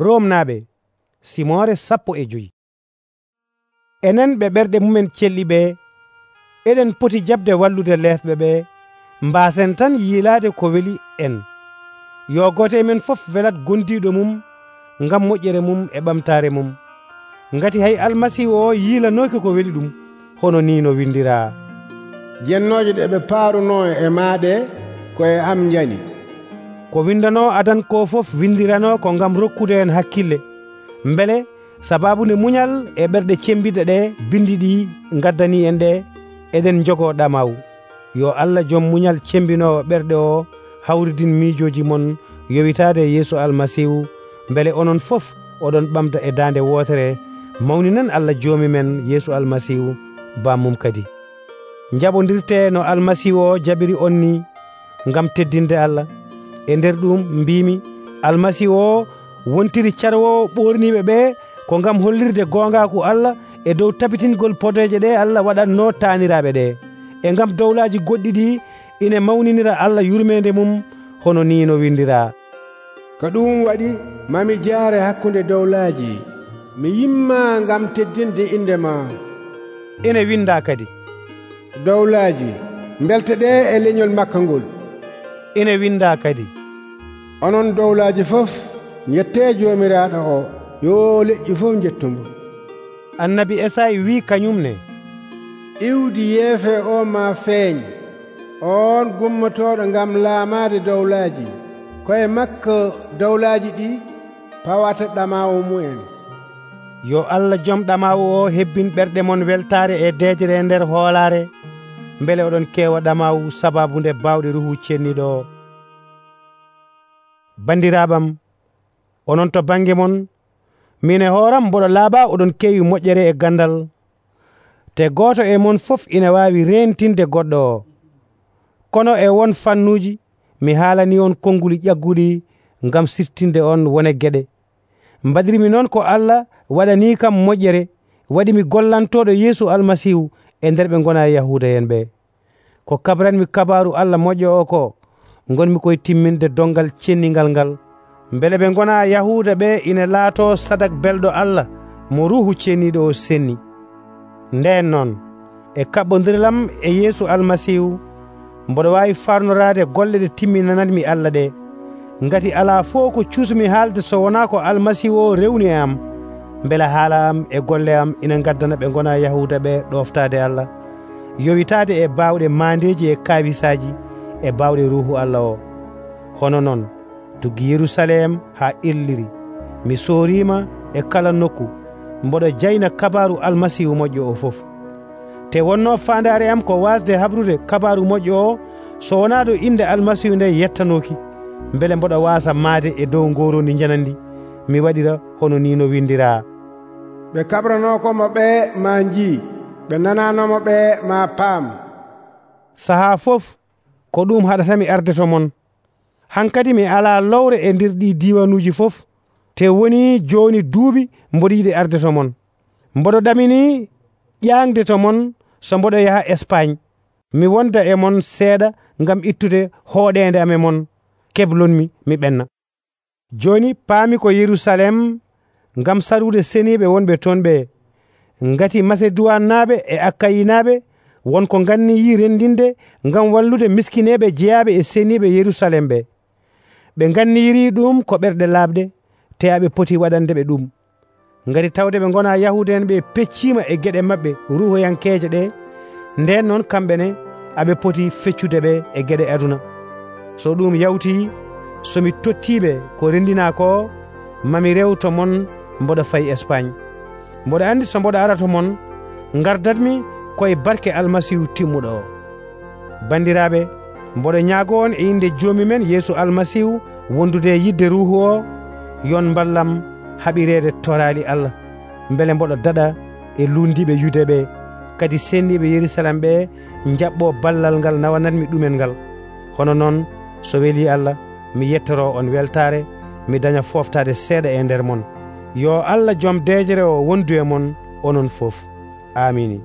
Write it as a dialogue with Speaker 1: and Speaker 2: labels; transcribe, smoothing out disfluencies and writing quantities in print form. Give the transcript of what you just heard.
Speaker 1: Romnaaɓe Simoore 15. Enen ɓe ɓerɗe mumen celliɓe eɗen poti jabde wallude leefɓe ɓe mbaasen tan yiilaade ko weli en. Yo gooto e men fof welat gondiiɗo mum ngam moƴƴere mum e ɓamtaare mum, ngati hay Almasiihu o yiilanooki ko weli ɗum, hono ni no windiraa:
Speaker 2: jennooje ɗe ɓe paarunoo e maaɗe koye am njani.
Speaker 1: Ko windanoo adan ko fof windiranoo ko ngam rokkude en hakkille, mbele sabaabu muñal e ɓerɗe cembiɗe ɗe bindi ɗi ngaddanii en ɗe eɗen njogoo ɗamaw. Yo Allah joom muñal cembinoowo ɓerɗe o hawridin miijooji mon yowitaade Yeesu Almasiihu, mbele onon fof oɗon ɓamda e daande wootere mawninan Allah joomi men Yeesu Almasiihu bammum kadi. Njaɓondirte no Almasiihu o jaɓiri on ni ngam teddinde Allah. E nder ɗum mbiimi Almasiihu o wontiri carwowo ɓorniiɓe ɓe ko ngam hollirde goongaaku Allah e dow tabitingol podeeje ɗe Allah waɗatno taaniraaɓe ɗe, e ngam dowlaaji goɗɗi ɗi ina mawninira Allah yurmeende mum, hono ni no windiraa:
Speaker 2: ko ɗum waɗi mami jaare hakkunde dowlaaji, mi yimma ngam teddinde inde ma.
Speaker 1: Ene windaa kadi:
Speaker 2: dowlaaji mbelte ɗe e leñol makka ngol.
Speaker 1: Ene windaa kadi:
Speaker 2: onon dowlaaji fof njettee joomiraaɗo o, yo leƴƴi fof njettumo.
Speaker 1: Annabi Esayi wii kañumne:
Speaker 2: iwdi yeefe o ma feeñ, on gummotooɗo ngam laamaade dowlaaji. Koye makko dowlaaji ɗi pawata ɗamaawo mu'en.
Speaker 1: Yo Allah joom ɗamaawo o hebbin ɓerɗe mon weltaare e deejere e nder hoolaare, mbele oɗon keewa ɗamaawu sabaabu nde baawɗe ruhu cenniɗo o. Bandiraaɓam, onon to bange mon, min e hooram mboɗo laaɓa oɗon keewi moƴƴere e gandal, te gooto e mon fof ina waawi reentinde goɗɗo o. Kono e won fannuuji mi haalani on konnguli ƴagguɗi ngam siftinde on wone geɗe. Mbaɗirimi noon ko Allah waɗanii kam moƴƴere, waɗimi gollantooɗo Yeesu Almasiihu e nder ɓe ngona Yahuuda en ɓe. Ko kabranmi kabaaru Allah moƴƴo o ko, ngonmi koye timminde dongal cenningal ngal, mbele ɓe ngona Yahuuda ɓe ina laatoo sadak belɗo Allah mo ruuhu cenniiɗo o senni. Ndeen noon e kaɓɓodiral e Yeesu Almasiihu mboɗo waawi farnoraade golle ɗe timminanatmi Allah ɗe, ngati alaa fof ko cuusmi haalde so wonaa ko Almasiihu o rewni e am, mbele haala am e golle am ina ngaddana ɓe ngona Yahuuda ɓe ɗoftaade Allah, yowitaade e baawɗe maandeeji e kaawisaaji e baawɗe ruuhu Allah o. Hono noon tuggi Yerusalem haa illiri, mi sooriima e kala nokku mboɗo jayna kabaaru Almasiihu moƴƴo o fof. Te wonnoo faandaare am ko waasde habrude kabaaru moƴƴo o so wonaa ɗo inde Almasiihu nde yettanooki, mbele mboɗo waasa maade e dow ngoroondi njanandi mi waɗira hono ni no windiraa:
Speaker 2: ɓe kabranookomo ɓe ma njii, ɓe nananomo ɓe ma paam.
Speaker 1: Sahaa fof ko ɗum haɗatami arde to mon. Hankadi mi alaa lowre e nder ɗi diiwanuuji fof, te woni jooni duuɓi mboɗo yiɗi arde to mon. Mboɗo ɗamini ƴaŋde to mon so mboɗo yaha Espagne, mi wonda e mon seeɗa ngam ittude hooɗeende am e mon, keblonmi mi ɓenna. Jooni paami ko Yerusalem ngam sarude seniiɓe wonɓe toon ɓe, ngati Maseduwannaaɓe e Akkayinaaɓe wonko nganniyii renndinde ngam wallude miskineeɓe jeyaaɓe e seniiɓe Yerusalem ɓe. Ɓe nganniyiri ɗum ko ɓerɗe laaɓde, te aɓe poti waɗande ɓe ɗum, ngati tawde ɓe ngona Yahuuda en ɓe pecciima e geɗe maɓɓe ruhoyankeeje ɗe, nden noon kamɓe ne aɓe poti feccude ɓe e geɗe aduna. So ɗum yawtii, somi tottiiɓe ko renndinaa ko, mami rew to mon mboɗo fayi Espagne. Mboɗo anndi so mboɗo ara to mon, ngardatmi koye barke Almasiihu timmuɗo o. Bandiraaɓe, mboɗo ñaago on e inde joomi men Yeesu Almasiihu wondude e yidde ruuhu o, yon mballam haɓireede toraali Allah, mbele mboɗo daɗa e luundiɓe Yude ɓe, kadi senniɓe Yerusalem ɓe jaɓɓo ballal ngal nawanatmi ɗumen ngal. Hono noon so weli Allah, mi yettoro on weltaare, mi daña foftaade seeɗa e nder mon. Yo Allah joom deejere o wondu e mon onon fof. Amini.